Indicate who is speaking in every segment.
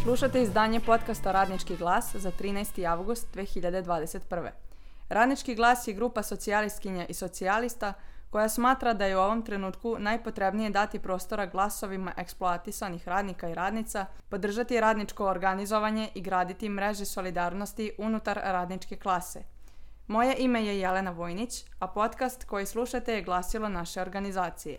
Speaker 1: Slušate izdanje podcasta Radnički glas za 13. avgust 2021. Radnički glas je grupa socijalistkinja i socijalista koja smatra da je u ovom trenutku najpotrebnije dati prostora glasovima eksploatisanih radnika i radnica, podržati radničko organizovanje i graditi mreže solidarnosti unutar radničke klase. Moje ime je Jelena Vojnić, a podcast koji slušate je glasilo naše organizacije.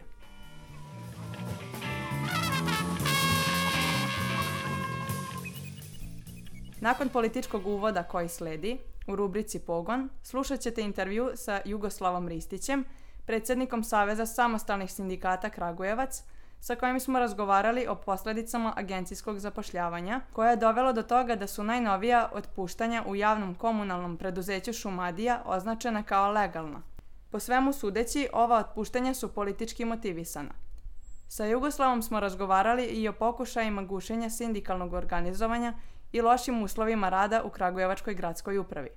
Speaker 1: Nakon političkog uvoda koji sledi, u rubrici Pogon, slušat ćete intervju sa Jugoslavom Ristićem, predsjednikom Saveza samostalnih sindikata Kragujevac, sa kojim smo razgovarali o posljedicama agencijskog zapošljavanja, koje je dovelo do toga da su najnovija otpuštanja u javnom komunalnom preduzeću Šumadija označena kao legalna. Po svemu sudeći, ova otpuštanja su politički motivisana. Sa Jugoslavom smo razgovarali i o pokušajima gušenja sindikalnog organizovanja i lošim uslovima rada u Kragujevačkoj gradskoj upravi.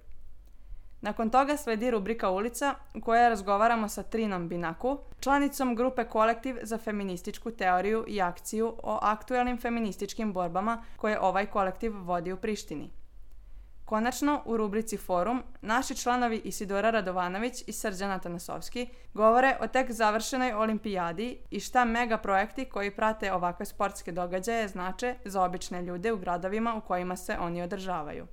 Speaker 1: Nakon toga sledi rubrika Ulica u kojoj razgovaramo sa Trinom Binaku, članicom grupe Kolektiv za feminističku teoriju i akciju o aktuelnim feminističkim borbama koje ovaj kolektiv vodi u Prištini. Konačno, u rubrici Forum, naši članovi Isidora Radovanović i Srđan Atanasovski govore o tek završenoj olimpijadi i šta mega projekti koji prate ovakve sportske događaje znače za obične ljude u gradovima u kojima se oni održavaju.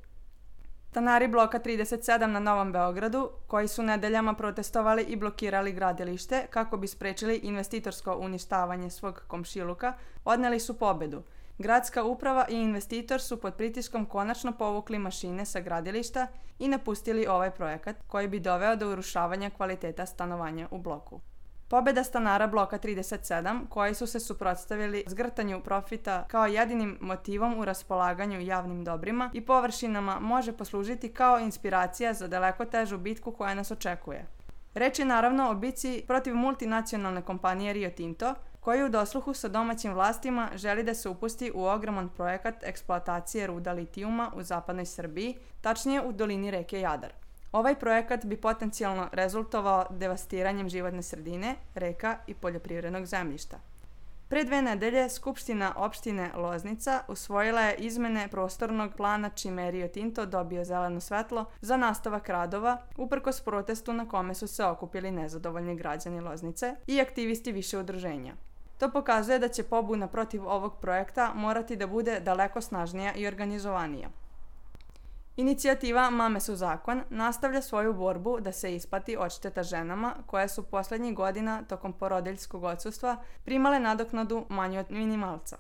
Speaker 1: Stanari bloka 37 na Novom Beogradu, koji su nedeljama protestovali i blokirali gradilište kako bi sprečili investitorsko uništavanje svog komšiluka, odneli su pobedu. Gradska uprava i investitor su pod pritiskom konačno povukli mašine sa gradilišta i napustili ovaj projekat koji bi doveo do urušavanja kvaliteta stanovanja u bloku. Pobjeda stanara bloka 37, koji su se suprotstavili zgrtanju profita kao jedinim motivom u raspolaganju javnim dobrima i površinama, može poslužiti kao inspiracija za daleko težu bitku koja nas očekuje. Reč je naravno o bitci protiv multinacionalne kompanije Rio Tinto, koji u dosluhu sa domaćim vlastima želi da se upusti u ogroman projekat eksploatacije ruda litijuma u zapadnoj Srbiji, tačnije u dolini reke Jadar. Ovaj projekat bi potencijalno rezultovao devastiranjem životne sredine, reka i poljoprivrednog zemljišta. Pre 2 nedelje Skupština opštine Loznica usvojila je izmene prostornog plana čime je Rio Tinto dobio zeleno svetlo za nastavak radova, uprkos protestu na kome su se okupili nezadovoljni građani Loznice i aktivisti više udruženja. To pokazuje da će pobuna protiv ovog projekta morati da bude daleko snažnija i organizovanija. Inicijativa Mame su zakon nastavlja svoju borbu da se isplati odšteta ženama koje su posljednjih godina tokom porodiljskog odsustva primale nadoknadu manju od minimalca.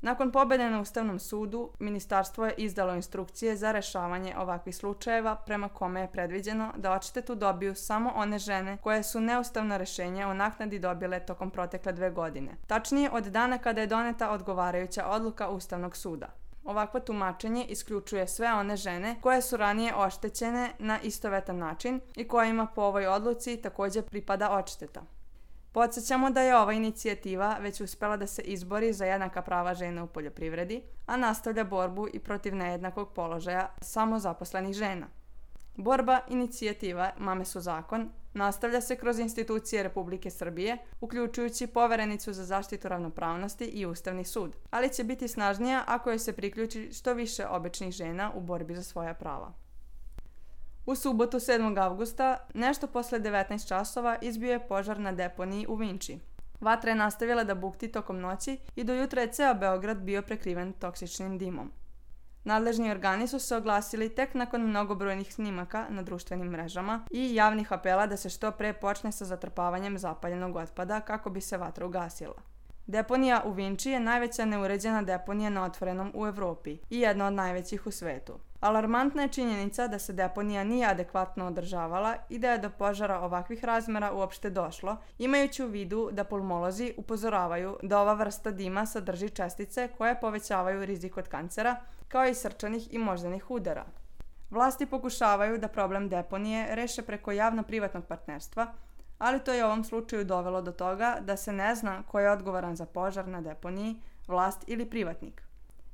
Speaker 1: Nakon pobjede na Ustavnom sudu, ministarstvo je izdalo instrukcije za rešavanje ovakvih slučajeva prema kome je predviđeno da odštetu dobiju samo one žene koje su neustavna rešenja o naknadi dobile tokom protekle 2 godine. Tačnije od dana kada je doneta odgovarajuća odluka Ustavnog suda. Ovakvo tumačenje isključuje sve one žene koje su ranije oštećene na istovetan način i kojima po ovoj odluci također pripada odšteta. Podsjećamo da je ova inicijativa već uspela da se izbori za jednaka prava žena u poljoprivredi, a nastavlja borbu i protiv nejednakog položaja samozaposlenih žena. Borba inicijativa Mame su zakon nastavlja se kroz institucije Republike Srbije, uključujući Poverenicu za zaštitu ravnopravnosti i Ustavni sud, ali će biti snažnija ako joj se priključi što više običnih žena u borbi za svoja prava. U subotu 7. avgusta, nešto posle 19 časova, izbio je požar na deponiji u Vinči. Vatra je nastavila da bukti tokom noći i do jutra je ceo Beograd bio prekriven toksičnim dimom. Nadležni organi su se oglasili tek nakon mnogobrojnih snimaka na društvenim mrežama i javnih apela da se što pre počne sa zatrpavanjem zapaljenog otpada kako bi se vatra ugasila. Deponija u Vinči je najveća neuređena deponija na otvorenom u Evropi i jedna od najvećih u svetu. Alarmantna je činjenica da se deponija nije adekvatno održavala i da je do požara ovakvih razmera uopšte došlo, imajući u vidu da pulmolozi upozoravaju da ova vrsta dima sadrži čestice koje povećavaju rizik od kancera, kao i srčanih i moždanih udara. Vlasti pokušavaju da problem deponije reše preko javno-privatnog partnerstva, ali to je u ovom slučaju dovelo do toga da se ne zna ko je odgovoran za požar na deponiji, vlast ili privatnik.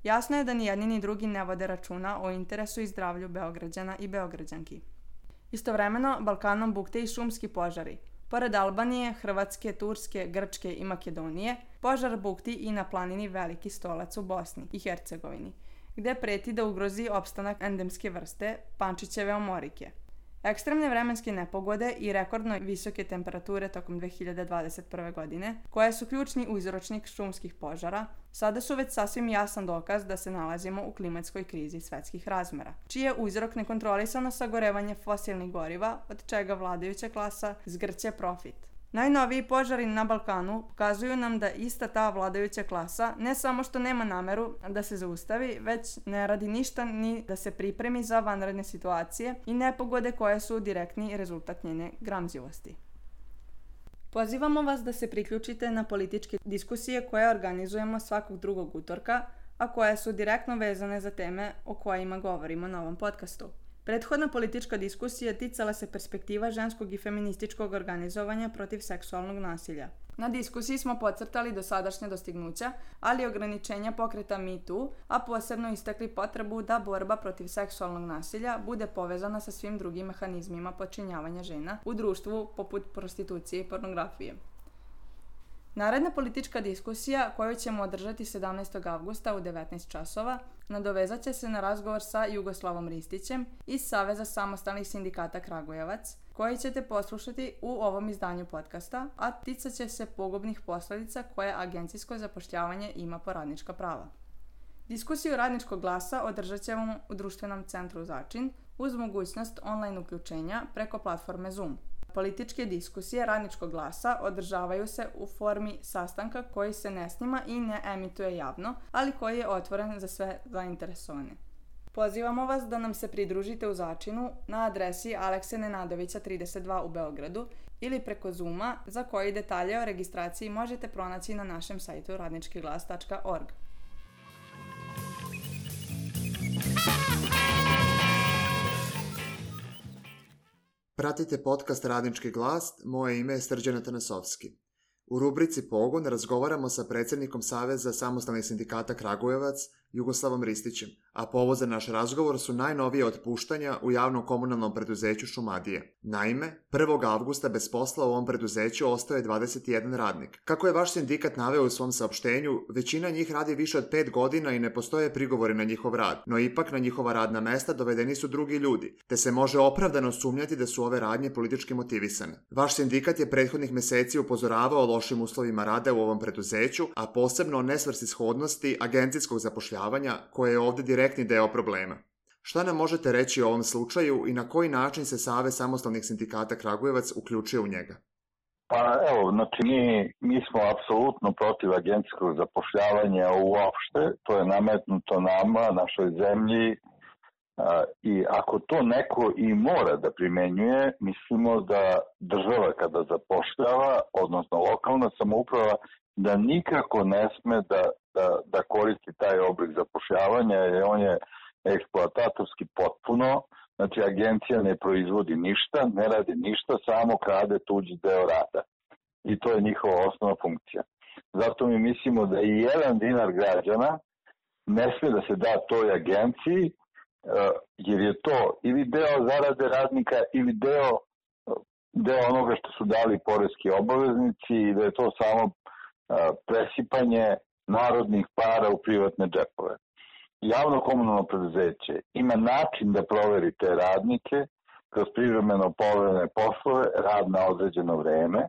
Speaker 1: Jasno je da ni jedni ni drugi ne vode računa o interesu i zdravlju Beograđana i Beograđanki. Istovremeno, Balkanom bukte i šumski požari. Pored Albanije, Hrvatske, Turske, Grčke i Makedonije, požar bukti i na planini Veliki Stolac u Bosni i Hercegovini, gde preti da ugrozi opstanak endemske vrste pančićeve omorike. Ekstremne vremenske nepogode i rekordno visoke temperature tokom 2021. godine, koje su ključni uzročnik šumskih požara, sada su već sasvim jasan dokaz da se nalazimo u klimatskoj krizi svetskih razmera, čiji je uzrok nekontrolisano sagorevanje fosilnih goriva, od čega vladajuća klasa zgrće profit. Najnoviji požari na Balkanu pokazuju nam da ista ta vladajuća klasa ne samo što nema nameru da se zaustavi, već ne radi ništa ni da se pripremi za vanredne situacije i nepogode koje su direktni rezultat njene gramzivosti. Pozivamo vas da se priključite na političke diskusije koje organizujemo svakog drugog utorka, a koje su direktno vezane za teme o kojima govorimo na ovom podcastu. Prethodna politička diskusija ticala se perspektiva ženskog i feminističkog organizovanja protiv seksualnog nasilja. Na diskusiji smo podcrtali dosadašnja dostignuća, ali i ograničenja pokreta Me Too, a posebno istakli potrebu da borba protiv seksualnog nasilja bude povezana sa svim drugim mehanizmima počinjavanja žena u društvu poput prostitucije i pornografije. Naredna politička diskusija, koju ćemo održati 17. avgusta u 19 časova, nadovezat će se na razgovor sa Jugoslavom Ristićem iz Saveza samostalnih sindikata Kragujevac, koji ćete poslušati u ovom izdanju podcasta, a ticat će se pogubnih posljedica koje agencijsko zapošljavanje ima po radnička prava. Diskusiju Radničkog glasa održat ćemo u društvenom centru Začin uz mogućnost online uključenja preko platforme Zoom. Političke diskusije Radničkog glasa održavaju se u formi sastanka koji se ne snima i ne emituje javno, ali koji je otvoren za sve zainteresovane. Pozivamo vas da nam se pridružite u Začinu na adresi Alekse Nenadovića 32 u Beogradu ili preko Zooma, za koji detalje o registraciji možete pronaći na našem sajtu radničkiglas.org.
Speaker 2: Pratite podcast Radnički glas, moje ime je Srđan Atanasovski. U rubrici Pogon razgovaramo sa predsjednikom Saveza samostalnih sindikata Kragujevac, Jugoslavom Ristićem, a povod za naš razgovor su najnovije otpuštanja u javnom komunalnom preduzeću Šumadije. Naime, 1. avgusta bez posla u ovom preduzeću ostao je 21 radnik. Kako je vaš sindikat naveo u svom saopštenju, većina njih radi više od 5 godina i ne postoje prigovori na njihov rad, no ipak na njihova radna mesta dovedeni su drugi ljudi, te se može opravdano sumnjati da su ove radnje politički motivisane. Vaš sindikat je prethodnih mjeseci upozoravao o lošim uslovima rada u ovom preduzeću, a posebno o nesvrsishodnosti agencijskog zapošljavanja, koje je ovdje direktni deo problema. Šta nam možete reći o ovom slučaju i na koji način se Savez samostalnih sindikata Kragujevac uključio u njega?
Speaker 3: Pa evo, znači mi smo apsolutno protiv agencijskog zapošljavanja uopšte, to je nametnuto nama, našoj zemlji, i ako to neko i mora da primenjuje, mislimo da država kada zapošljava, odnosno lokalna samouprava, da nikako ne sme da koristi taj oblik zapošljavanja, jer on je eksploatatorski potpuno. Znači, agencija ne proizvodi ništa, ne radi ništa, samo krade tuđi deo rada. I to je njihova osnovna funkcija. Zato mi mislimo da i jedan dinar građana ne sme da se da toj agenciji, jer je to ili deo zarade radnika ili deo onoga što su dali poreski obaveznici i da je to samo presipanje narodnih para u privatne džepove. Javno komunalno preduzeće ima način da proveri te radnike kroz privremeno poverene poslove, rad na određeno vreme,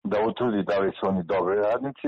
Speaker 3: da utvrdi da li su oni dobri radnici,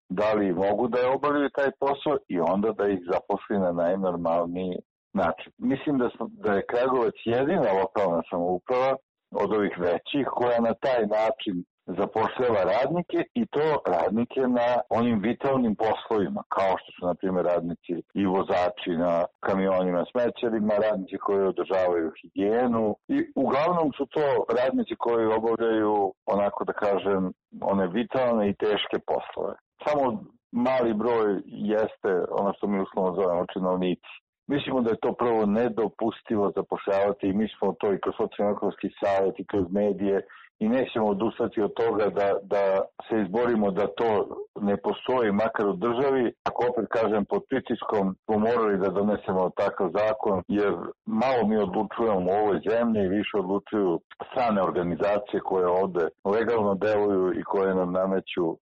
Speaker 3: da li mogu da je obavljaju taj posao i onda da ih zaposli na najnormalniji način. Mislim da je Kragujevac jedina lokalna samouprava od ovih većih koja na taj način zapošljava radnike i to radnike na onim vitalnim poslovima, kao što su, na primjer, radnici i vozači na kamionima, smećarima, radnici koji održavaju higijenu i uglavnom su to radnici koji obavljaju, onako da kažem, one vitalne i teške poslove. Samo mali broj jeste ono što mi uslovno zovemo činovnici. Mislimo da je to prvo nedopustivo zapošljavati i mi smo to i kroz socijalno-ekonomski savjet i kroz medije i nećemo odustati od toga da se izborimo da to ne postoji, makar u državi, ako opet kažem pod pritiskom smo morali da donesemo takav zakon, jer malo mi odlučujemo u ovoj zemlji, više odlučuju strane organizacije koje ovde legalno deluju i koje nam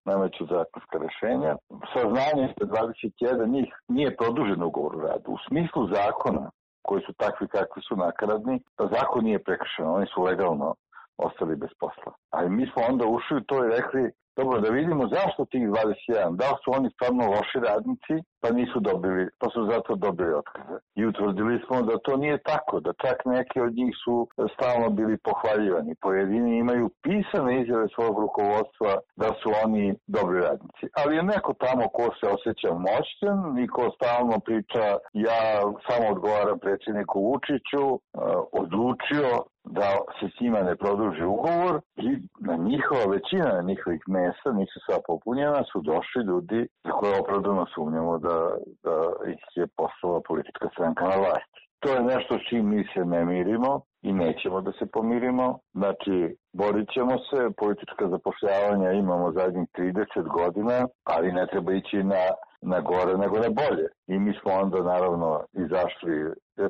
Speaker 3: nameću zakonska rešenja. Saznanje da 21 njih nije produžen ugovor o radu. U smislu zakona, koji su takvi kakvi su nakaradni, zakon nije prekršen, oni su legalno ostali bez posla. Ali mi smo onda ušli u to i rekli, dobro, da vidimo zašto tih 21, da li su oni stvarno loši radnici, pa su zato dobili otkaze. I utvrdili smo da to nije tako, da čak neki od njih su stalno bili pohvaljivani. Pojedini imaju pisane izjave svog rukovodstva da su oni dobri radnici. Ali je neko tamo ko se osjeća moćan i ko stalno priča, ja samo odgovaram predsjedniku Vučiću, odlučio da se s njima ne produži ugovor i na njihova većina na njihovih mesta, nisu sva popunjena, su došli ljudi za koje opravdano sumnjamo da ih je poslala politička stranka na vlasti. To je nešto s čim mi se ne mirimo i nećemo da se pomirimo. Znači, borit ćemo se, politička zapošljavanja imamo zadnjih 30 godina, ali ne treba ići na gore nego na bolje. I mi smo onda naravno izašli,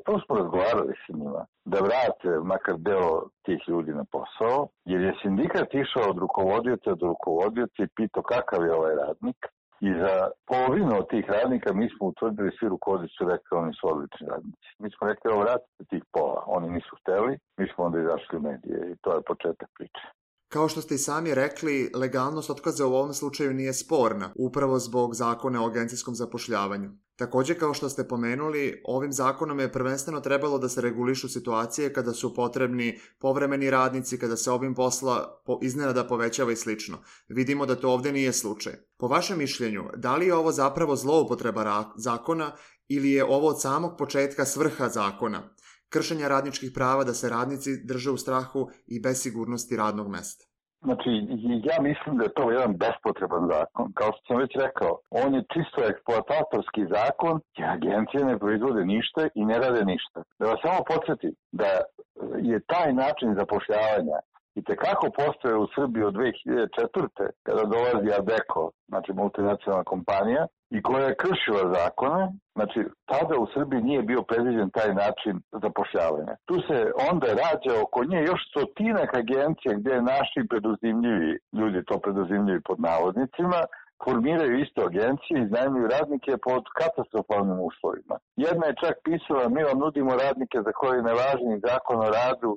Speaker 3: to smo razgovarali s njima, da vrate makar deo tih ljudi na posao, jer je sindikat išao od rukovodioca do rukovodioca i pitao kakav je ovaj radnik. I za polovinu od tih radnika mi smo utvrdili, svi rukovodioci su rekli oni su odlični radnici. Mi smo rekli, vratite tih pola, oni nisu hteli, mi smo onda izašli u medije i to je početak priče.
Speaker 2: Kao što ste i sami rekli, legalnost otkaza u ovom slučaju nije sporna, upravo zbog zakona o agencijskom zapošljavanju. Također, kao što ste pomenuli, ovim zakonom je prvenstveno trebalo da se regulišu situacije kada su potrebni povremeni radnici, kada se obim posla iznenada povećava i slično. Vidimo da to ovdje nije slučaj. Po vašem mišljenju, da li je ovo zapravo zloupotreba zakona ili je ovo od samog početka svrha zakona? Kršenja radničkih prava da se radnici drže u strahu i bez sigurnosti radnog mesta.
Speaker 3: Znači, ja mislim da je to jedan bespotreban zakon. Kao što sam već rekao, on je čisto eksploatatorski zakon, jer agencije ne proizvode ništa i ne rade ništa. Da vas samo podsjetim da je taj način zapošljavanja i tekako postoje u Srbiji od 2004. kada dolazi Adeko, znači multinacionalna kompanija, i koja je kršila zakone, znači tada u Srbiji nije bio predviđen taj način zapošljavanja. Tu se onda rađa oko nje još stotinak agencija gdje naši preduzimljivi, ljudi to preduzimljivi pod navodnicima, formiraju isto agencije i iznajmljuju radnike pod katastrofalnim uslovima. Jedna je čak pisala, mi vam nudimo radnike za koje ne važi ni zakon o radu,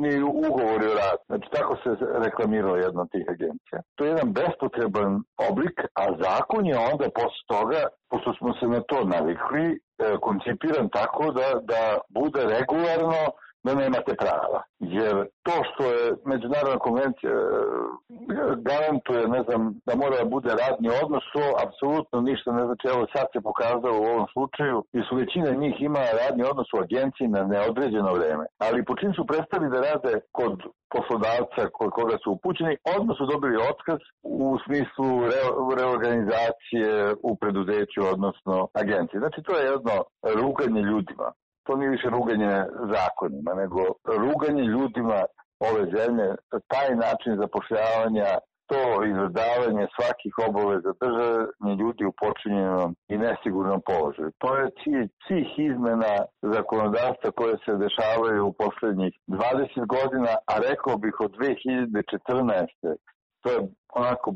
Speaker 3: ni ugovori o radu. Znači tako se reklamirala jedna od tih agencija. To je jedan bespotreban oblik, a zakon je onda posle toga, pošto smo se na to navikli, koncipiran tako da bude regularno, da nemate prava. Jer to što je međunarodna konvencija garantuje, da mora da bude radni odnos, to apsolutno ništa ne znači. Evo sad se pokazalo u ovom slučaju, jer su većina njih ima radni odnos u agenciji na neodređeno vreme. Ali po čim su prestali da rade kod poslodavca kod koga su upućeni, odmah su dobili otkaz u smislu reorganizacije u preduzeću, odnosno agenciji. Znači to je jedno ruganje ljudima. To nije više ruganje zakonima, nego ruganje ljudima ove zemlje, taj način zapošljavanja, to izvrdavanje svakih obaveza, držanje ljudi u počinjenom i nesigurnom položaju. To je cilj svih izmena zakonodavstva koje se dešavaju u poslednjih 20 godina, a rekao bih od 2014. To je onako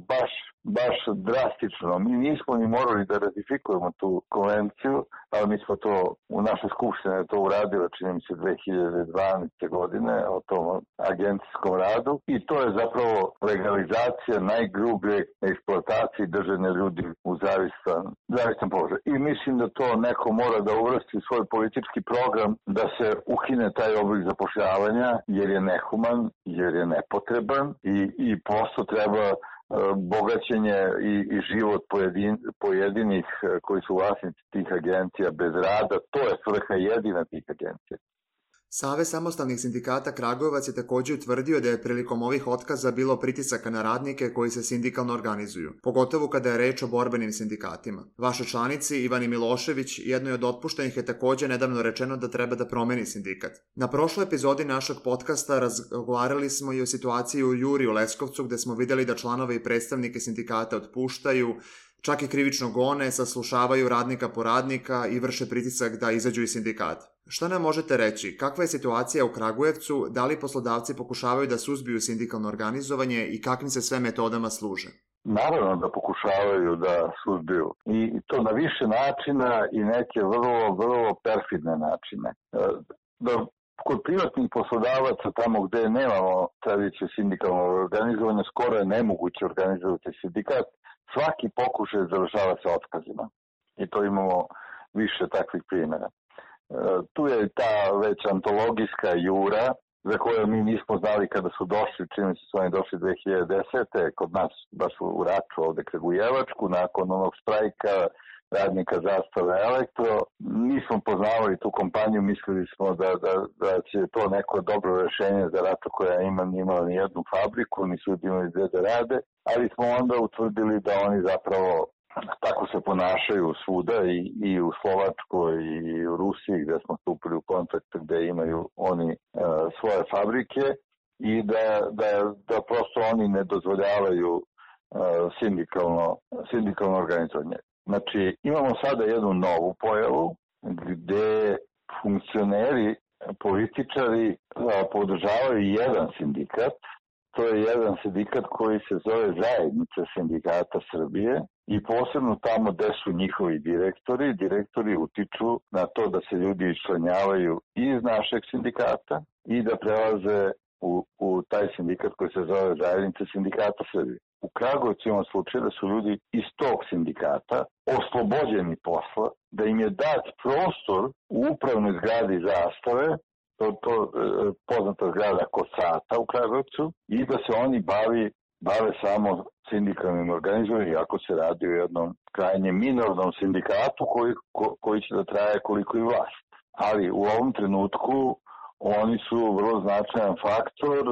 Speaker 3: baš drastično. Mi nismo ni morali da ratifikujemo tu konvenciju, ali mi smo to u našoj skupštini to uradili, čini mi se 2012. godine o tom agencijskom radu i to je zapravo legalizacija najgrublje eksploatacije držanja ljudi u zavistan položaj. I mislim da to neko mora da uvrsti u svoj politički program da se ukine taj oblik zapošljavanja jer je nehuman, jer je nepotreban i prosto treba bogaćenje i život pojedinih koji su vlasnici tih agencija bez rada, to je svrha jedina tih agencija.
Speaker 2: Savez samostalnih sindikata Kragujevac je također utvrdio da je prilikom ovih otkaza bilo pritisaka na radnike koji se sindikalno organizuju, pogotovo kada je reč o borbenim sindikatima. Vašoj članici Ivani Milošević, jednoj od otpuštenih, je također nedavno rečeno da treba da promeni sindikat. Na prošloj epizodi našeg podcasta razgovarali smo i o situaciji u Juri u Leskovcu, gde smo vidjeli da članove i predstavnike sindikata otpuštaju, čak i krivično gone, saslušavaju radnika po radnika i vrše pritisak da izađu iz sindikata. Šta nam možete reći? Kakva je situacija u Kragujevcu? Da li poslodavci pokušavaju da suzbiju sindikalno organizovanje i kakvim se sve metodama služe?
Speaker 3: Naravno da pokušavaju da suzbiju. I to na više načina i neke vrlo perfidne načine. Kod privatnih poslodavaca, tamo gde nemamo tradiciju sindikalnog organizovanja, skoro je nemoguće organizovati sindikat. Svaki pokušaj završava se otkazima. I to imamo više takvih primjera. Tu je ta već antologijska Jura, za koju mi nismo znali kada su došli, čini se su oni došli 2010. kod nas, baš u Raču, ovde Kragujevačku, nakon onog štrajka radnika Zastave Elektro. Nismo poznavali tu kompaniju, mislili smo da će to neko dobro rešenje za Raču koja nije imala ni jednu fabriku, nisu imali gde da rade, ali smo onda utvrdili da oni zapravo tako se ponašaju svuda i u Slovačkoj i u Rusiji gde smo stupili u kontakt gde imaju oni svoje fabrike i da prosto oni ne dozvoljavaju sindikalno organizovanje. Znači, imamo sada jednu novu pojavu gde funkcioneri, političari podržavaju jedan sindikat. To je jedan sindikat koji se zove Zajednica sindikata Srbije i posebno tamo gde su njihovi direktori. Direktori utiču na to da se ljudi iščlanjavaju iz našeg sindikata i da prelaze u taj sindikat koji se zove Zajednica sindikata Srbije. U Kragujevcu imamo slučaj da su ljudi iz tog sindikata oslobođeni posla, da im je dat prostor u upravnoj zgradi Zastave, to poznata zgrada Kosata u Kragujevcu, i da se oni bave samo sindikalnim organizovanjem, iako se radi o jednom krajnje minornom sindikatu koji će da traje koliko i vlast. Ali u ovom trenutku oni su vrlo značajan faktor.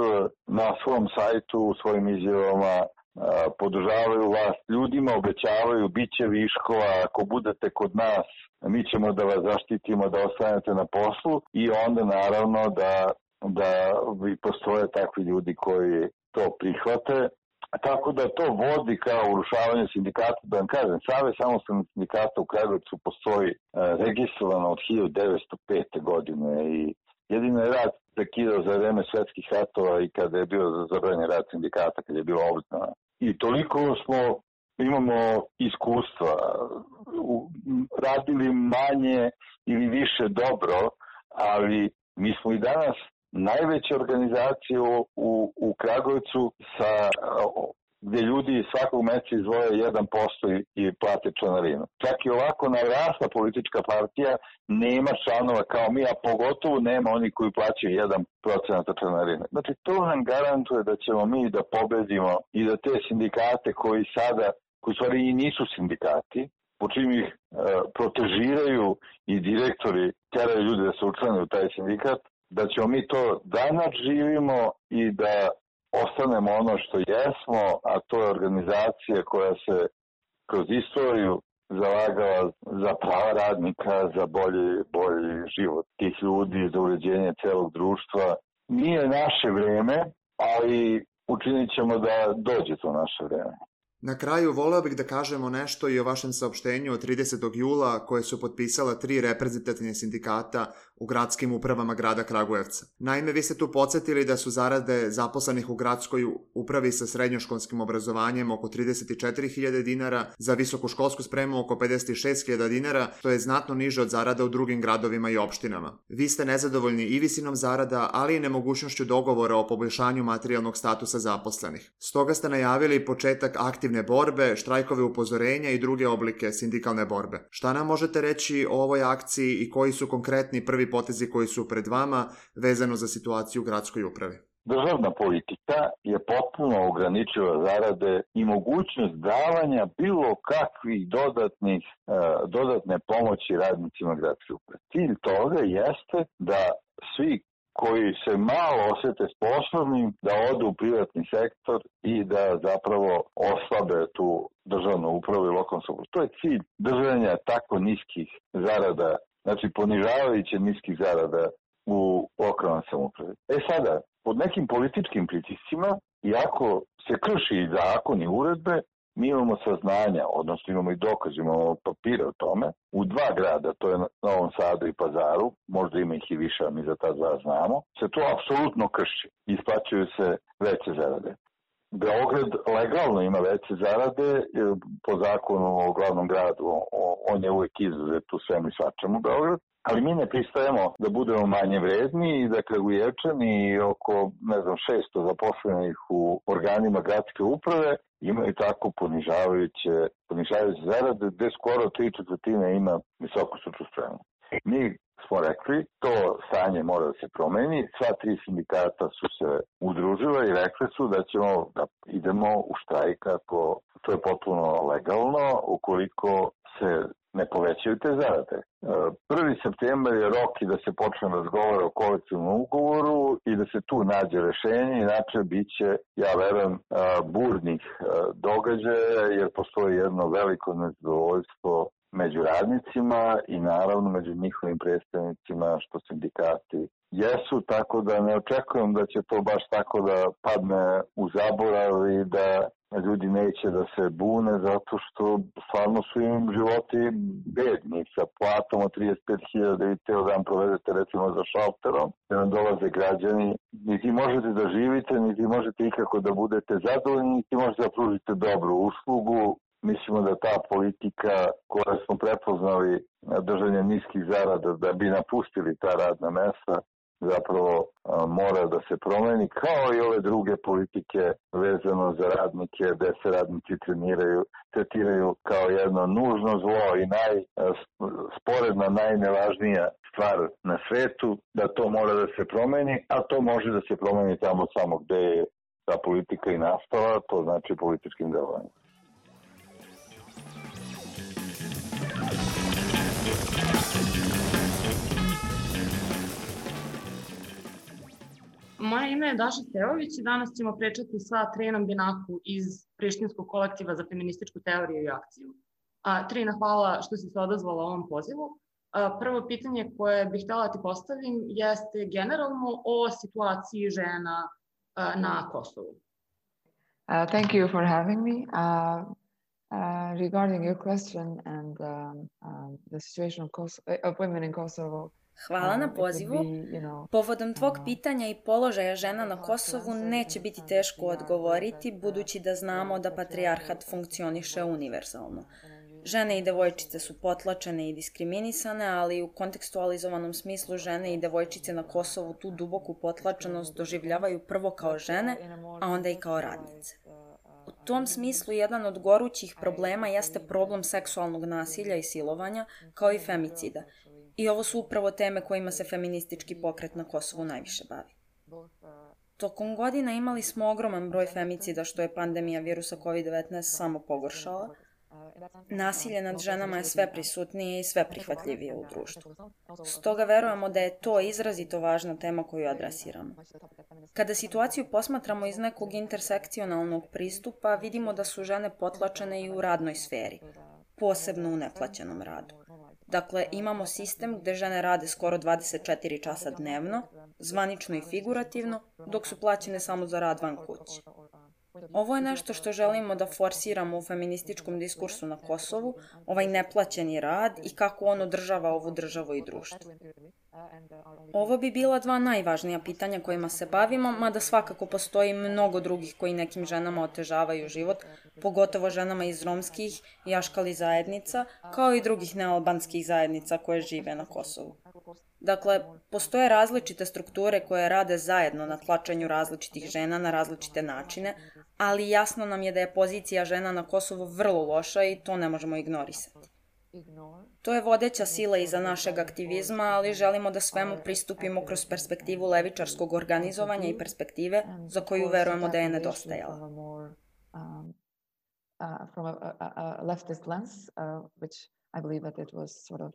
Speaker 3: Na svom sajtu, u svojim izjavama podržavaju vlast, ljudima obećavaju bit će viškova, ako budete kod nas mi ćemo da vas zaštitimo da ostanete na poslu, i onda naravno da postoje takvi ljudi koji to prihvate. Tako da to vodi kao urušavanje sindikata. Da vam kažem, Savez samostalnih sindikata u Kragujevcu postoji registrovano od 1905. godine i jedino je rad prekidao za vreme svetskih ratova i kada je bio zabranjen rad sindikata, kada je bilo obznana. I toliko imamo iskustva, radili manje ili više dobro, ali mi smo i danas najveća organizacija u Kragujevcu gdje ljudi svakog meseca izdvoje 1% i plate članarinu. Čak i ovako narasla politička partija nema članova kao mi, a pogotovo nema oni koji plaćaju 1% članarine. Znači to nam garantuje da ćemo mi da pobedimo i da te sindikate koji stvari i nisu sindikati, po čim ih protežiraju i direktori teraju ljudi da se učlane u taj sindikat, da ćemo mi to da nadživimo i da ostanemo ono što jesmo, a to je organizacija koja se kroz istoriju zalagala za prava radnika, za bolji život tih ljudi, za uređenje celog društva. Nije naše vreme, ali učinit ćemo da dođe to naše vreme.
Speaker 2: Na kraju voleo bih da kažemo nešto i o vašem saopštenju od 30. jula koje su potpisala 3 reprezentativne sindikata u gradskim upravama grada Kragujevca. Naime, vi ste tu podsjetili da su zarade zaposlenih u gradskoj upravi sa srednjoškolskim obrazovanjem oko 34.000 dinara, za visokoškolsku spremu oko 56.000 dinara, što je znatno niže od zarada u drugim gradovima i opštinama. Vi ste nezadovoljni i visinom zarada, ali i nemogućnošću dogovora o poboljšanju materijalnog statusa zaposlenih. Stoga ste najavili početak aktivne borbe, štrajkove upozorenja i druge oblike sindikalne borbe. Šta nam možete reći o ovoj akciji i koji su konkretni prvi potezi koji su pred vama vezano za situaciju u gradskoj upravi?
Speaker 3: Državna politika je potpuno ograničila zarade i mogućnost davanja bilo kakvih dodatne pomoći radnicima gradske uprave. Cilj toga jeste da svi koji se malo osjete sposobnim da odu u privatni sektor i da zapravo oslabe tu državnu upravu i lokalnu samoupravu. To je cilj držanja tako niskih zarada, znači ponižavajuće niskih zarada u lokalnoj samoupravi. Sada, pod nekim političkim pritiscima, iako se krši zakon i uredbe, mi imamo saznanja, odnosno imamo i dokaz, imamo papire o tome, u 2 grada, to je Novom Sadu i Pazaru, možda ima ih i više, a mi za ta 2 znamo, se to apsolutno krši. Isplaćuju se veće zarade. Beograd legalno ima veće zarade po zakonu o glavnom gradu, on je uvijek izuzet u svemu i svačemu Beograd, ali mi ne pristajemo da budemo manje vredni i da Kragujevčani oko, 600 zaposlenih u organima gradske uprave imaju tako ponižavajuće zarade, gde skoro 3/4 ima visoku stručnu spremu. Mi smo rekli, to stanje mora da se promeni, sva 3 sindikata su se udružila i rekli su da ćemo da idemo u štrajk ako to je potpuno legalno, ukoliko se ne povećaju te zarade. 1. septembar je rok i da se počne razgovara o kolektivnom ugovoru i da se tu nađe rešenje, inače bit će, ja verujem, burnih događaja, jer postoji jedno veliko nezadovoljstvo među radnicima i naravno među njihovim predstavnicima što sindikati jesu, tako da ne očekujem da će to baš tako da padne u zaborav i da ljudi neće da se bune zato što stvarno su im životi bedni sa platom od 35.000 da vi teo dan provedete recimo za šalterom, da nam dolaze građani, niti možete da živite, niti možete ikako da budete zadovoljni, niti možete da pružite dobru uslugu. Mislimo da ta politika koja smo prepoznali držanje niskih zarada da bi napustili ta radna mesta zapravo mora da se promeni, kao i ove druge politike vezano za radnike, gde se radnici tretiraju kao jedno nužno zlo i sporedna najnevažnija stvar na svetu, da to mora da se promeni, a to može da se promeni tamo samo gde je ta politika i nastala, to znači političkim delovanjem.
Speaker 4: Moje ime je Daša Stevović i danas ćemo pričati sa Trinom Binaku iz Prištinskog kolektiva za feminističku teoriju i akciju. Trina, hvala što si se odazvala ovom pozivu. Prvo pitanje koje bih htjela ti postavim jeste generalno o situaciji žena na Kosovu.
Speaker 5: Thank you for having me. Regarding your question and the situation of women in Kosovo,
Speaker 6: hvala na pozivu. Povodom tvog pitanja i položaja žena na Kosovu neće biti teško odgovoriti, budući da znamo da patrijarhat funkcioniše univerzalno. Žene i devojčice su potlačene i diskriminisane, ali u kontekstualizovanom smislu žene i devojčice na Kosovu tu duboku potlačenost doživljavaju prvo kao žene, a onda i kao radnice. U tom smislu jedan od gorućih problema jeste problem seksualnog nasilja i silovanja, kao i femicida. I ovo su upravo teme kojima se feministički pokret na Kosovu najviše bavi. Tokom godina imali smo ogroman broj femicida što je pandemija virusa COVID-19 samo pogoršala. Nasilje nad ženama je sve prisutnije i sve prihvatljivije u društvu. Stoga verujemo da je to izrazito važna tema koju adresiramo. Kada situaciju posmatramo iz nekog intersekcionalnog pristupa, vidimo da su žene potlačene i u radnoj sferi, posebno u neplaćenom radu. Dakle, imamo sistem gde žene rade skoro 24 časa dnevno, zvanično i figurativno, dok su plaćene samo za rad van kuće. Ovo je nešto što želimo da forsiramo u feminističkom diskursu na Kosovu, ovaj neplaćeni rad i kako on održava ovu državu i društvo. Ovo bi bila 2 najvažnija pitanja kojima se bavimo, mada svakako postoji mnogo drugih koji nekim ženama otežavaju život, pogotovo ženama iz romskih i aškali zajednica, kao i drugih nealbanskih zajednica koje žive na Kosovu. Dakle, postoje različite strukture koje rade zajedno na tlačenju različitih žena na različite načine, ali jasno nam je da je pozicija žena na Kosovu vrlo loša i to ne možemo ignorisati. To je vodeća sila iza našeg aktivizma, ali želimo da svemu pristupimo kroz perspektivu levičarskog organizovanja i perspektive za koju verujemo da je nedostajala.
Speaker 5: From a leftist lens, which I believe that it was sort of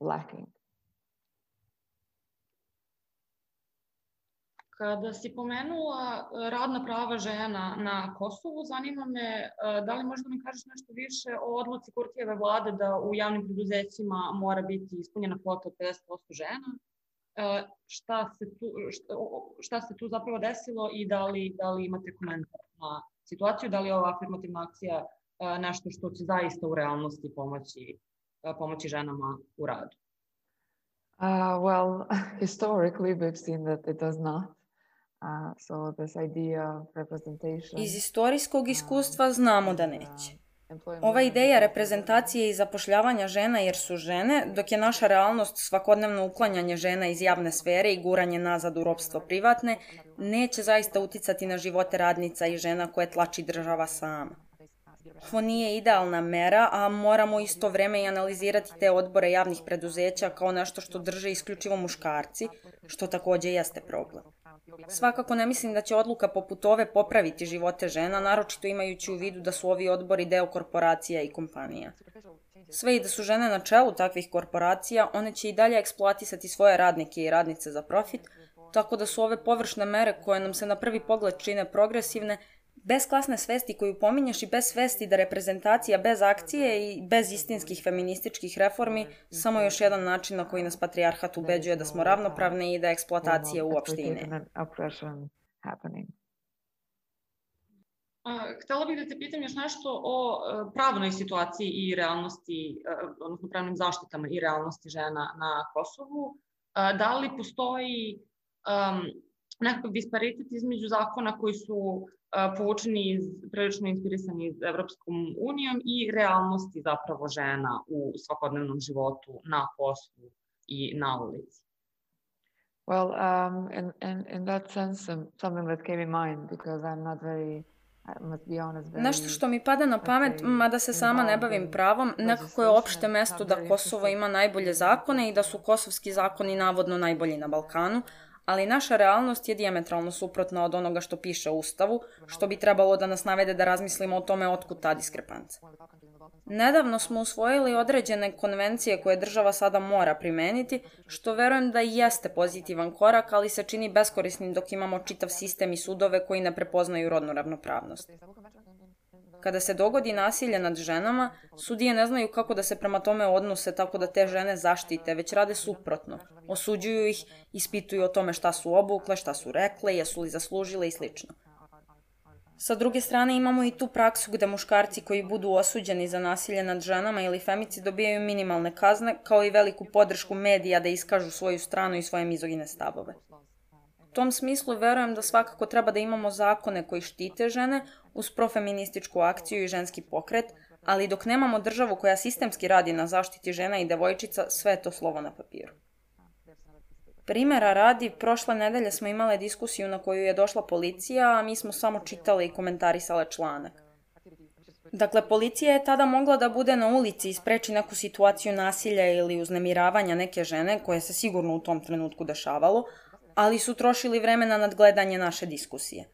Speaker 5: lacking.
Speaker 4: Kada si pomenula radna prava žena na Kosovu, zanima me da li možda mi kažeš nešto više o odluci Kurtijeve vlade da u javnim preduzećima mora biti ispunjena kvota od 50% žena. Šta se tu zapravo desilo i da li imate komentar na situaciju, da li je ova afirmativna akcija nešto što će zaista u realnosti pomoći ženama u radu?
Speaker 5: Well, historically we've seen that it does not. So this idea of representation.
Speaker 6: Iz istorijskog iskustva znamo da neće. Ova ideja reprezentacije i zapošljavanja žena jer su žene, dok je naša realnost svakodnevno uklanjanje žena iz javne sfere i guranje nazad u ropstvo privatne, neće zaista uticati na živote radnica i žena koje tlači država sama. Ovo nije idealna mera, a moramo isto vreme i analizirati te odbore javnih preduzeća kao nešto što drže isključivo muškarci, što takođe jeste problem. Svakako ne mislim da će odluka poput ove popraviti živote žena, naročito imajući u vidu da su ovi odbori deo korporacija i kompanija. Sve i da su žene na čelu takvih korporacija, one će i dalje eksploatisati svoje radnike i radnice za profit, tako da su ove površne mere koje nam se na prvi pogled čine progresivne, bez klasne svesti koju pominješ i bez svesti da reprezentacija bez akcije i bez istinskih feminističkih reformi samo još jedan način na koji nas patrijarhat ubeđuje da smo ravnopravne i da eksploatacije uopšte i ne.
Speaker 4: Htela bih da te pitam još nešto o pravnoj situaciji i realnosti, odnosno pravnim zaštitama i realnosti žena na Kosovu. Da li postoji nekakav disparitet između zakona koji su povučeni, prilično inspirisani iz Evropskom unijom i realnosti zapravo žena u svakodnevnom životu na poslu i na ulici?
Speaker 5: Well, in that sense, something that came in mind because I'm not very, I must be honest,
Speaker 6: Nešto što mi pada na pamet, mada se sama ne bavim pravom, nekako je opšte mesto da Kosovo ima najbolje zakone i da su kosovski zakoni navodno najbolji na Balkanu, ali naša realnost je dijametralno suprotna od onoga što piše u Ustavu, što bi trebalo da nas navede da razmislimo o tome otkud ta diskrepanca. Nedavno smo usvojili određene konvencije koje država sada mora primeniti, što verujem da i jeste pozitivan korak, ali se čini beskorisnim dok imamo čitav sistem i sudove koji ne prepoznaju rodnu ravnopravnost. Kada se dogodi nasilje nad ženama, sudije ne znaju kako da se prema tome odnose tako da te žene zaštite, već rade suprotno. Osuđuju ih, ispituju o tome šta su obukle, šta su rekle, jesu li zaslužile i sl. Sa druge strane imamo i tu praksu gde muškarci koji budu osuđeni za nasilje nad ženama ili femicid dobijaju minimalne kazne, kao i veliku podršku medija da iskažu svoju stranu i svoje mizogine stavove. U tom smislu verujem da svakako treba da imamo zakone koji štite žene uz profeminističku akciju i ženski pokret, ali dok nemamo državu koja sistemski radi na zaštiti žena i devojčica, sve je to slovo na papiru. Primera radi, prošle nedelje smo imale diskusiju na koju je došla policija, a mi smo samo čitale i komentarisale članak. Dakle, policija je tada mogla da bude na ulici i spreči neku situaciju nasilja ili uznemiravanja neke žene, koje se sigurno u tom trenutku dešavalo, ali su trošili vreme na nadgledanje naše diskusije.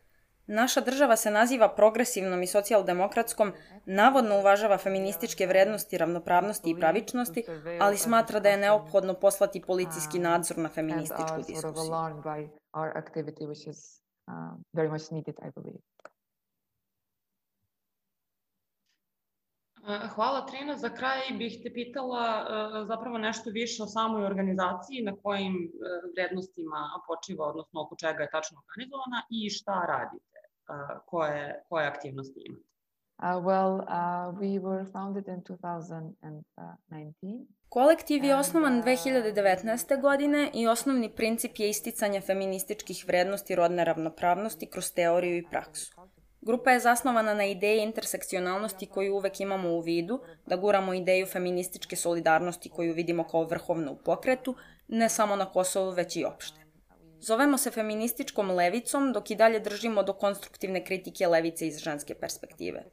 Speaker 6: Naša država se naziva progresivnom i socijaldemokratskom, navodno uvažava feminističke vrednosti, ravnopravnosti i pravičnosti, ali smatra da je neophodno poslati policijski nadzor na feminističku diskusiju.
Speaker 4: Hvala, Trina. Za kraj bih te pitala zapravo nešto više o samoj organizaciji, na kojim vrednostima počiva, odnosno oko čega je tačno organizovana i šta radite, koje aktivnosti imate.
Speaker 5: We were founded in 2019.
Speaker 6: Kolektiv je osnovan 2019. godine i osnovni princip je isticanje feminističkih vrednosti rodne ravnopravnosti kroz teoriju i praksu. Grupa je zasnovana na ideji intersekcionalnosti koju uvek imamo u vidu, da guramo ideju feminističke solidarnosti koju vidimo kao vrhovnu u pokretu, ne samo na Kosovu, već i opšte. Zovemo se feminističkom levicom, dok i dalje držimo do konstruktivne kritike levice iz ženske perspektive.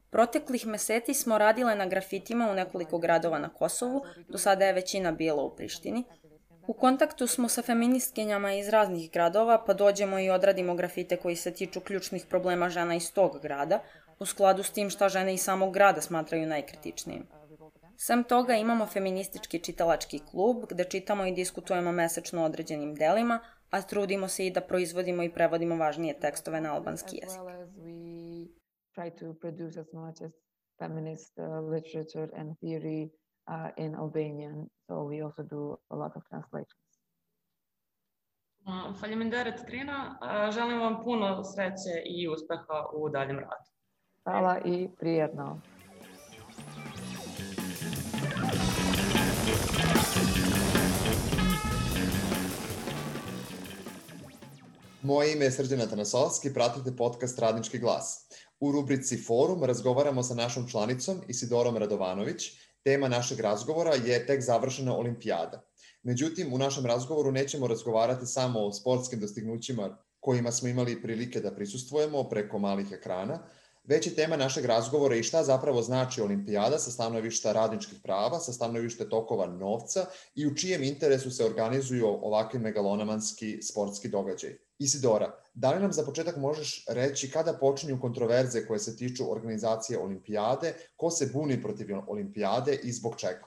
Speaker 6: Proteklih meseci smo radile na grafitima u nekoliko gradova na Kosovu, do sada je većina bila u Prištini. U kontaktu smo sa feministkinjama iz raznih gradova, pa dođemo i odradimo grafite koji se tiču ključnih problema žena iz tog grada, u skladu s tim šta žene iz samog grada smatraju najkritičnijim. Sem toga imamo feministički čitalački klub, gde čitamo i diskutujemo mesečno o određenim delima, a trudimo se i da proizvodimo i prevodimo važnije tekstove na albanski jezik.
Speaker 5: As well as we try to produce as much as feminist literature and theory in Albanian, so we also do a lot of translations.
Speaker 4: Faleminderit Trina, želim vam puno sreće i uspeha u daljem radu.
Speaker 5: Hvala i prijetno.
Speaker 2: Moje ime je Srđan Atanasovski, pratite podcast Radnički glas. U rubrici Forum razgovaramo sa našom članicom Isidorom Radovanović. Tema našeg razgovora je tek završena olimpijada. Međutim, u našem razgovoru nećemo razgovarati samo o sportskim dostignućima kojima smo imali prilike da prisustvujemo preko malih ekrana, već je tema našeg razgovora i šta zapravo znači olimpijada sa stanovišta radničkih prava, sa stanovišta tokova novca i u čijem interesu se organizuju ovakvi megalomanski sportski događaji. Isidora, da li nam za početak možeš reći kada počinju kontroverze koje se tiču organizacije olimpijade, ko se buni protiv olimpijade i zbog čega?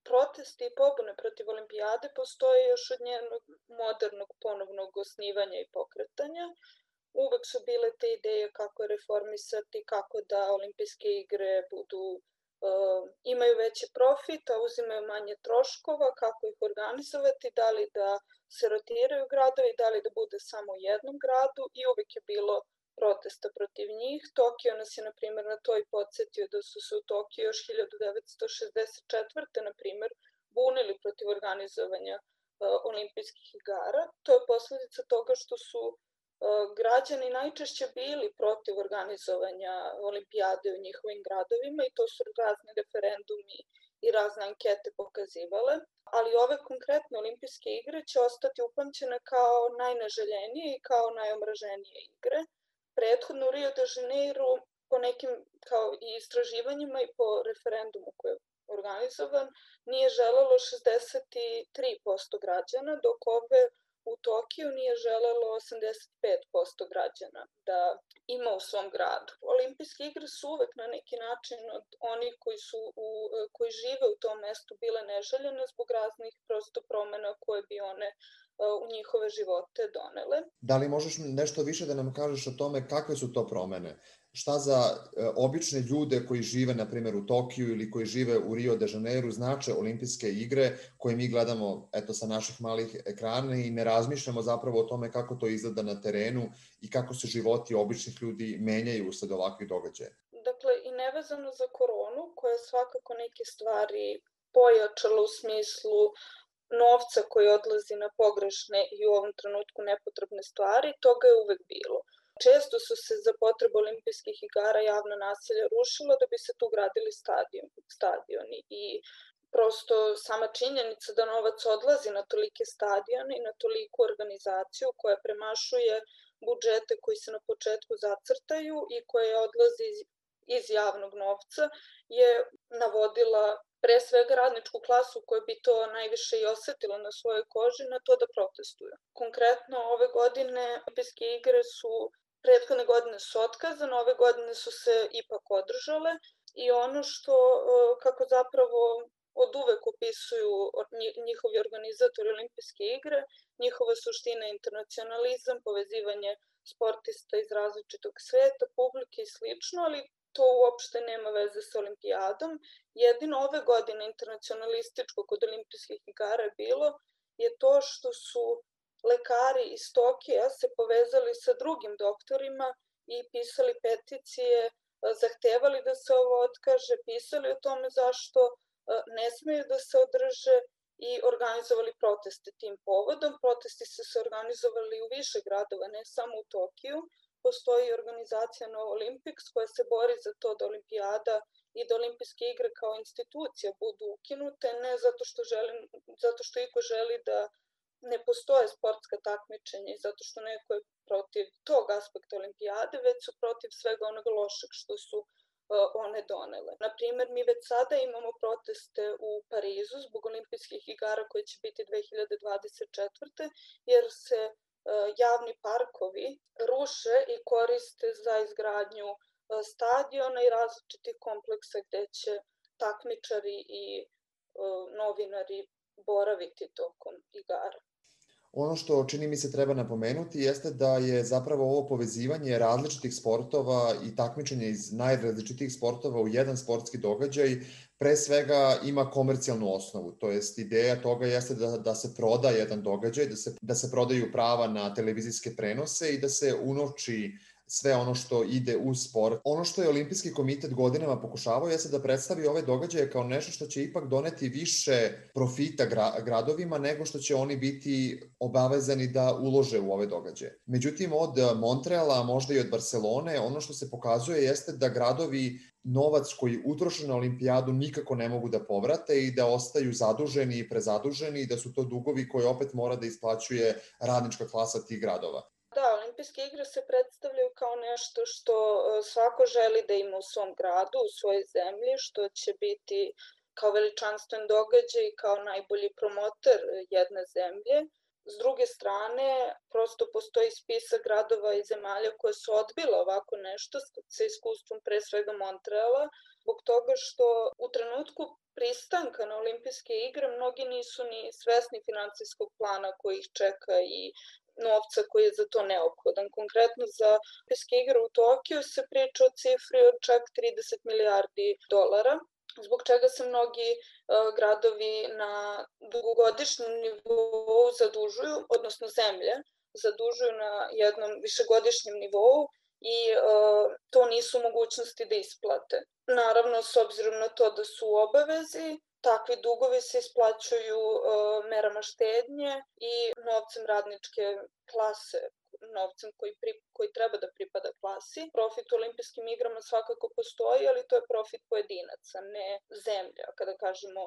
Speaker 7: Protesti i pobune protiv olimpijade postoje još od njenog modernog ponovnog osnivanja i pokretanja. Uvek su bile te ideje kako reformisati, kako da olimpijske igre imaju veći profit, a uzimaju manje troškova, kako ih organizovati, da li da se rotiraju gradovi, da li da bude samo u jednom gradu i uvek je bilo protesta protiv njih. Tokio nas je, na primjer, na to i podsjetio da su se u Tokiju još 1964. na primjer, bunili protiv organizovanja olimpijskih igara. To je posljedica toga što su građani najčešće bili protiv organizovanja olimpijade u njihovim gradovima i to su razni referendumi i razne ankete pokazivale. Ali ove konkretne olimpijske igre će ostati upamćene kao najneželjenije i kao najomraženije igre. Prethodno u Rio de Janeiro po nekim kao i istraživanjima i po referendumu koji je organizovan nije želelo 63% građana, dok ove u Tokiju nije želelo 85% građana da ima u svom gradu. Olimpijske igre su uvek na neki način od onih koji žive u tom mestu bile neželjene zbog raznih prosto promena koje bi one u njihove živote donele.
Speaker 2: Da li možeš nešto više da nam kažeš o tome kakve su to promene? Šta za obične ljude koji žive, na primjer, u Tokiju ili koji žive u Rio de Janeiro znače olimpijske igre koje mi gledamo sa naših malih ekrana i ne razmišljamo zapravo o tome kako to izgleda na terenu i kako se životi običnih ljudi menjaju usled ovakvih događaja?
Speaker 7: Dakle, i nevezano za koronu, koja je svakako neke stvari pojačala u smislu novca koji odlazi na pogrešne i u ovom trenutku nepotrebne stvari, toga je uvek bilo. Često su se za potrebe olimpijskih igara javna naselja rušila da bi se tu gradili stadioni i prosto sama činjenica da novac odlazi na tolike stadione i na toliku organizaciju koja premašuje budžete koji se na početku zacrtaju i koja odlazi iz javnog novca je navodila pre svega radničku klasu koja bi to najviše i osetila na svojoj koži na to da protestuju. Konkretno ove godine olimpijske igre prethodne godine su otkazane, ove godine su se ipak održale i ono što kako zapravo od uvek opisuju njihovi organizatori olimpijske igre, njihova suština je internacionalizam, povezivanje sportista iz različitog sveta, publike i slično, ali to uopšte nema veze sa olimpijadom. Jedino ove godine internacionalističko kod olimpijskih igara je bilo je to što su lekari iz Tokija se povezali sa drugim doktorima i pisali peticije, zahtevali da se ovo otkaže, pisali o tome zašto ne smeju da se održe i organizovali proteste tim povodom. Protesti su se organizovali u više gradova, ne samo u Tokiju. Postoji organizacija No Olympics koja se bori za to da olimpijada i da olimpijske igre kao institucija budu ukinute, ne zato što iko želi da ne postoje sportska takmičenja i zato što neko je protiv tog aspekta olimpijade, već su protiv svega onoga lošeg što su one donele. Naprimjer, mi već sada imamo proteste u Parizu zbog olimpijskih igara koje će biti 2024. jer se javni parkovi ruše i koriste za izgradnju stadiona i različitih kompleksa gde će takmičari i novinari boraviti tokom igara.
Speaker 2: Ono što čini mi se treba napomenuti jeste da je zapravo ovo povezivanje različitih sportova i takmičenja iz najrazličitijih sportova u jedan sportski događaj pre svega ima komercijalnu osnovu, to jest ideja toga jeste da se proda jedan događaj, da se prodaju prava na televizijske prenose i da se unovči sve ono što ide uz sport. Ono što je Olimpijski komitet godinama pokušavao jeste da predstavi ove događaje kao nešto što će ipak doneti više profita gradovima nego što će oni biti obavezani da ulože u ove događaje. Međutim, od Montreala, možda i od Barcelone, ono što se pokazuje jeste da gradovi novac koji utroše na olimpijadu nikako ne mogu da povrate i da ostaju zaduženi i prezaduženi i da su to dugovi koje opet mora da isplaćuje radnička klasa tih gradova.
Speaker 7: Da, olimpijske igre se predstavljaju kao nešto što svako želi da ima u svom gradu, u svojoj zemlji, što će biti kao veličanstven događaj, kao najbolji promoter jedne zemlje. S druge strane, prosto postoji spisak gradova i zemalja koje su odbile ovako nešto sa iskustvom pre svega Montreala, zbog toga što u trenutku pristanka na olimpijske igre mnogi nisu ni svesni finansijskog plana koji ih čeka i novca koji je za to neophodan. Konkretno za olimpijske igre u Tokiju se priča o cifri od čak 30 milijardi dolara, zbog čega se mnogi gradovi na dugogodišnjem nivou zadužuju, odnosno zemlje zadužuju na jednom višegodišnjem nivou i to nisu mogućnosti da isplate. Naravno, s obzirom na to da su u obavezi, takvi dugovi se isplaćuju merama štednje i novcem radničke klase, novcem koji treba da pripada klasi. Profit u olimpijskim igrama svakako postoji, ali to je profit pojedinaca, ne zemlja. Kada kažemo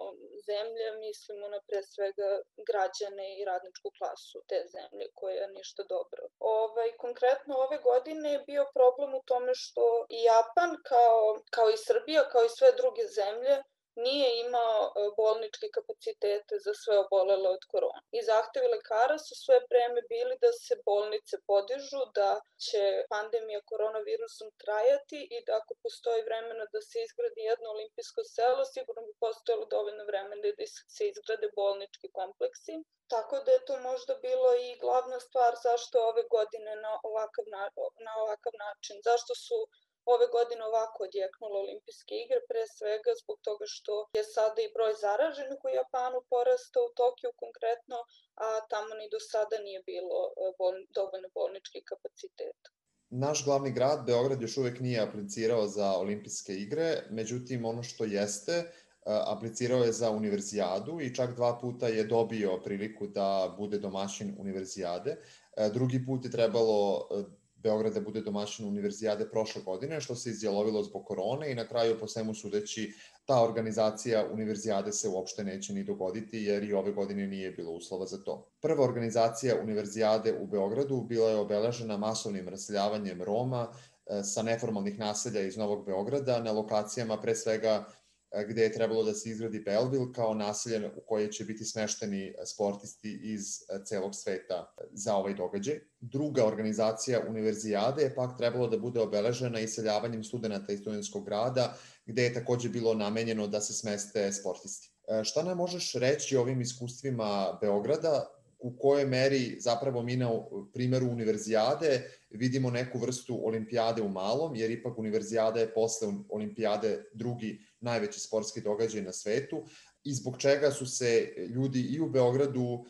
Speaker 7: zemlja, mislimo na pre svega građane i radničku klasu te zemlje, koja je ništa dobro. Konkretno ove godine je bio problem u tome što i Japan, kao i Srbija, kao i sve druge zemlje, nije imao bolničke kapacitete za sve obolele od korona. I zahtevi lekara su sve vreme bili da se bolnice podižu, da će pandemija koronavirusom trajati i da ako postoji vremena da se izgradi jedno olimpijsko selo, sigurno bi postojalo dovoljno vremena da se izgrade bolnički kompleksi. Tako da je to možda bilo i glavna stvar zašto ove godine na ovakav način, zašto su ove godine ovako odjeknule olimpijske igre, pre svega zbog toga što je sada i broj zaraženih u Japanu porastao, u Tokiju konkretno, a tamo ni do sada nije bilo dovoljno bolničkih kapaciteta.
Speaker 2: Naš glavni grad, Beograd, još uvek nije aplicirao za olimpijske igre, međutim ono što jeste, aplicirao je za univerzijadu i čak 2 puta je dobio priliku da bude domaćin univerzijade. Drugi put je trebalo Beograd da bude domaćin univerzijade prošle godine, što se izjalovilo zbog korone i na kraju, po svemu sudeći, ta organizacija univerzijade se uopšte neće ni dogoditi, jer i ove godine nije bilo uslova za to. Prva organizacija univerzijade u Beogradu bila je obeležena masovnim raseljavanjem Roma sa neformalnih naselja iz Novog Beograda na lokacijama pre svega gde je trebalo da se izgradi Belleville kao naselje u koje će biti smešteni sportisti iz celog sveta za ovaj događaj. Druga organizacija univerzijade je pak trebalo da bude obeležena iseljavanjem studenta iz studentskog grada, gde je takođe bilo namenjeno da se smeste sportisti. Šta nam možeš reći o ovim iskustvima Beograda? U kojoj meri zapravo mi na primjeru univerzijade vidimo neku vrstu olimpijade u malom, jer ipak univerzijada je posle olimpijade drugi najveći sportski događaj na svetu i zbog čega su se ljudi i u Beogradu,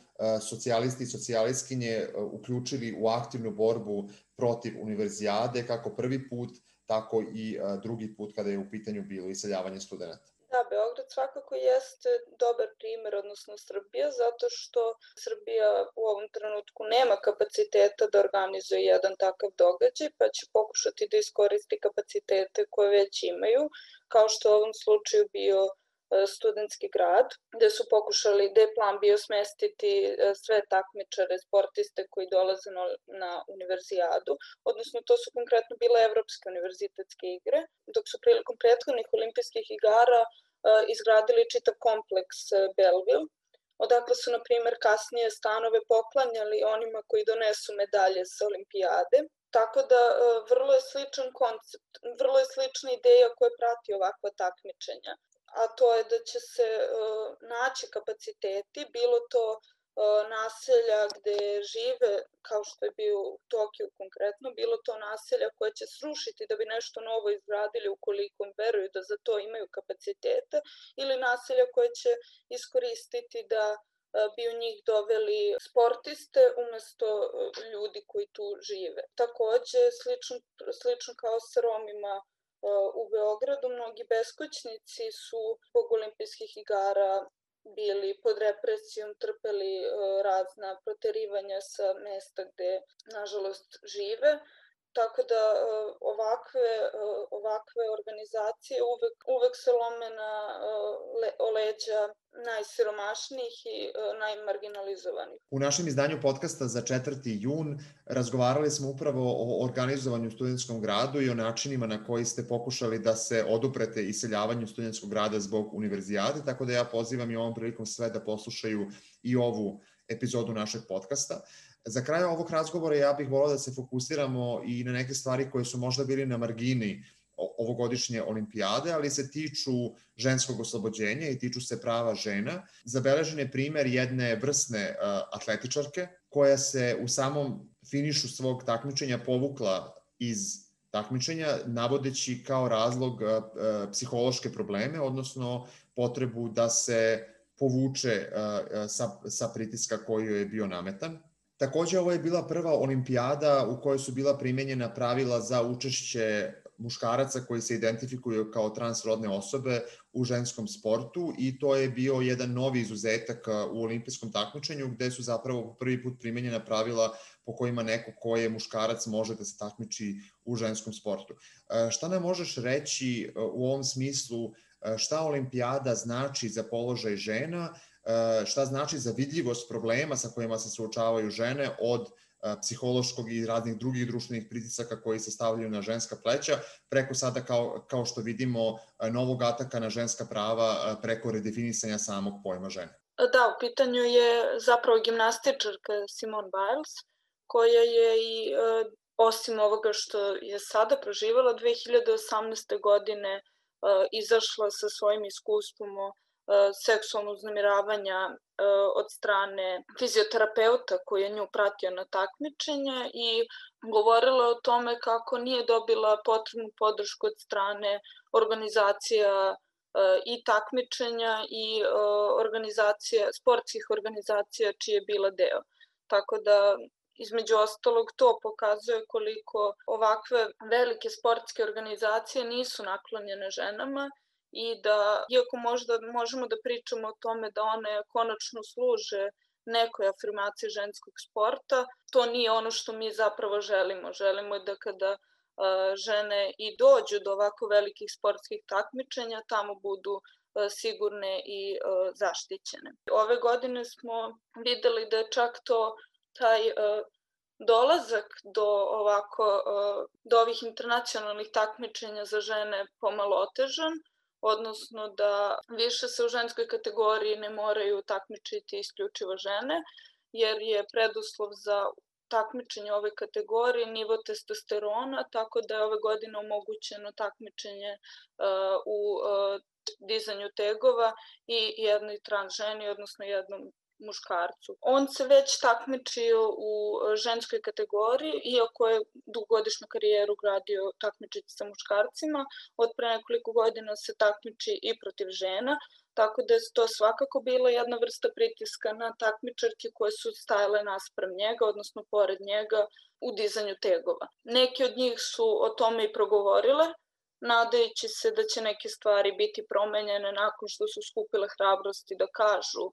Speaker 2: socijalisti i socijalistkinje uključili u aktivnu borbu protiv univerzijade, kako prvi put, tako i drugi put kada je u pitanju bilo iseljavanje studenta.
Speaker 7: Da, Beograd svakako jeste dobar primer, odnosno Srbija, zato što Srbija u ovom trenutku nema kapaciteta da organizuje jedan takav događaj, pa će pokušati da iskoristi kapacitete koje već imaju, kao što u ovom slučaju bio studentski grad, gde su pokušali, gde je plan bio smestiti sve takmičare, sportiste koji dolaze na univerzijadu, odnosno to su konkretno bile evropske univerzitetske igre, dok su prilikom prethodnih olimpijskih igara izgradili čitav kompleks Belleville, odakle su, na primjer, kasnije stanove poklanjali onima koji donesu medalje sa olimpijade. Tako da vrlo je sličan koncept, vrlo je slična ideja koja prati ovakva takmičenja, a to je da će se naći kapaciteti, bilo to naselja gde žive, kao što je bio u Tokiju konkretno, bilo to naselja koje će srušiti da bi nešto novo izgradili ukoliko veruju da za to imaju kapacitete, ili naselja koje će iskoristiti da bi u njih doveli sportiste umesto ljudi koji tu žive. Takođe, slično kao sa Romima u Beogradu, mnogi beskućnici su zbog olimpijskih igara bili pod represijom, trpeli razna proterivanja sa mesta gde, nažalost, žive. Tako da ovakve organizacije uvek se lome na leđa najsiromašnijih i najmarginalizovanih.
Speaker 2: U našem izdanju podcasta za 4. jun razgovarali smo upravo o organizovanju u studentskom gradu i o načinima na koji ste pokušali da se oduprete iseljavanju studentskog grada zbog univerzijade, tako da ja pozivam i ovom prilikom sve da poslušaju i ovu epizodu našeg podcasta. Za kraj ovog razgovora ja bih volao da se fokusiramo i na neke stvari koje su možda bili na margini ovogodišnje olimpijade, ali se tiču ženskog oslobođenja i tiču se prava žena. Zabeležen je primer jedne vrsne atletičarke koja se u samom finišu svog takmičenja povukla iz takmičenja, navodeći kao razlog psihološke probleme, odnosno potrebu da se povuče sa pritiska koji joj je bio nametan. Takođe, ovo je bila prva olimpijada u kojoj su bila primenjena pravila za učešće muškaraca koji se identifikuju kao transrodne osobe u ženskom sportu i to je bio jedan novi izuzetak u olimpijskom takmičenju gde su zapravo prvi put primenjena pravila po kojima neko ko je muškarac može da se takmiči u ženskom sportu. Šta nam možeš reći u ovom smislu, šta olimpijada znači za položaj žena, šta znači za vidljivost problema sa kojima se suočavaju žene od psihološkog i raznih drugih društvenih pritisaka koji se stavljaju na ženska pleća, preko sada kao što vidimo novog ataka na ženska prava preko redefinisanja samog pojma žene.
Speaker 7: Da, u pitanju je zapravo gimnastičarka Simone Biles, koja je i osim ovoga što je sada proživala 2018. godine izašla sa svojim iskustvom o seksualnog uznemiravanja od strane fizioterapeuta koji je nju pratio na takmičenje i govorila o tome kako nije dobila potrebnu podršku od strane organizacija i takmičenja i sportskih organizacija čije je bila deo. Tako da između ostalog to pokazuje koliko ovakve velike sportske organizacije nisu naklonjene ženama i da, iako možda možemo da pričamo o tome da one konačno služe nekoj afirmaciji ženskog sporta, to nije ono što mi zapravo želimo. Želimo da kada žene i dođu do ovako velikih sportskih takmičenja, tamo budu sigurne i zaštićene. Ove godine smo videli da je čak taj dolazak do ovih internacionalnih takmičenja za žene pomalo otežan, odnosno da više se u ženskoj kategoriji ne moraju takmičiti isključivo žene, jer je preduslov za takmičenje ove kategorije nivo testosterona, tako da je ove godine omogućeno takmičenje u dizanju tegova i jednoj trans ženi, odnosno jednom muškarcu. On se već takmičio u ženskoj kategoriji, iako je dugogodišnju karijeru gradio takmičiti sa muškarcima, od pre nekoliko godina se takmiči i protiv žena, tako da je to svakako bila jedna vrsta pritiska na takmičarke koje su stajale naspram njega, odnosno pored njega u dizanju tegova. Neki od njih su o tome i progovorile, nadajući se da će neke stvari biti promenjene nakon što su skupile hrabrosti da kažu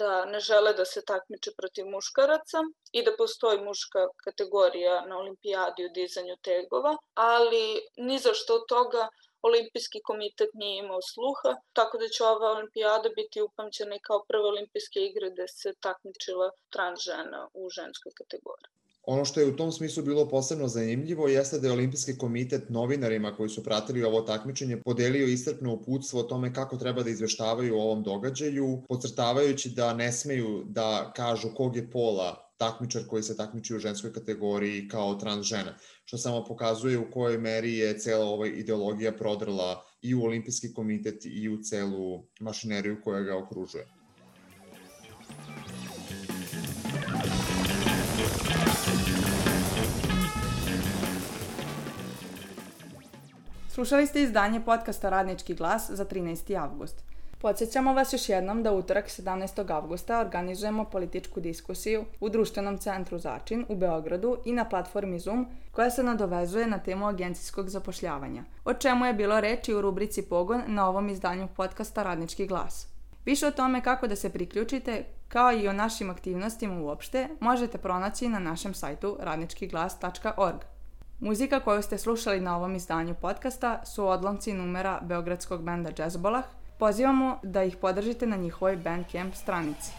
Speaker 7: da ne žele da se takmiče protiv muškaraca i da postoji muška kategorija na olimpijadi u dizanju tegova, ali ni za što od toga Olimpijski komitet nije imao sluha, tako da će ova olimpijada biti upamćena i kao prve olimpijske igre gde se takmičila trans žena u ženskoj kategoriji.
Speaker 2: Ono što je u tom smislu bilo posebno zanimljivo jeste da je Olimpijski komitet novinarima koji su pratili ovo takmičenje podelio iscrpno uputstvo o tome kako treba da izveštavaju o ovom događaju, podcrtavajući da ne smeju da kažu kog je pola takmičar koji se takmiči u ženskoj kategoriji kao trans žena, što samo pokazuje u kojoj meri je cela ova ideologija prodrla i u Olimpijski komitet i u celu mašineriju koja ga okružuje.
Speaker 1: Slušali ste izdanje podcasta Radnički glas za 13. avgust. Podsjećamo vas još jednom da utorak 17. avgusta organizujemo političku diskusiju u Društvenom centru Začin u Beogradu i na platformi Zoom koja se nadovezuje na temu agencijskog zapošljavanja, o čemu je bilo reči u rubrici Pogon na ovom izdanju podcasta Radnički glas. Više o tome kako da se priključite, kao i o našim aktivnostima uopšte, možete pronaći na našem sajtu radničkiglas.org. Muzika koju ste slušali na ovom izdanju podcasta su odlomci numera beogradskog benda Džezbolah. Pozivamo da ih podržite na njihovoj Bandcamp stranici.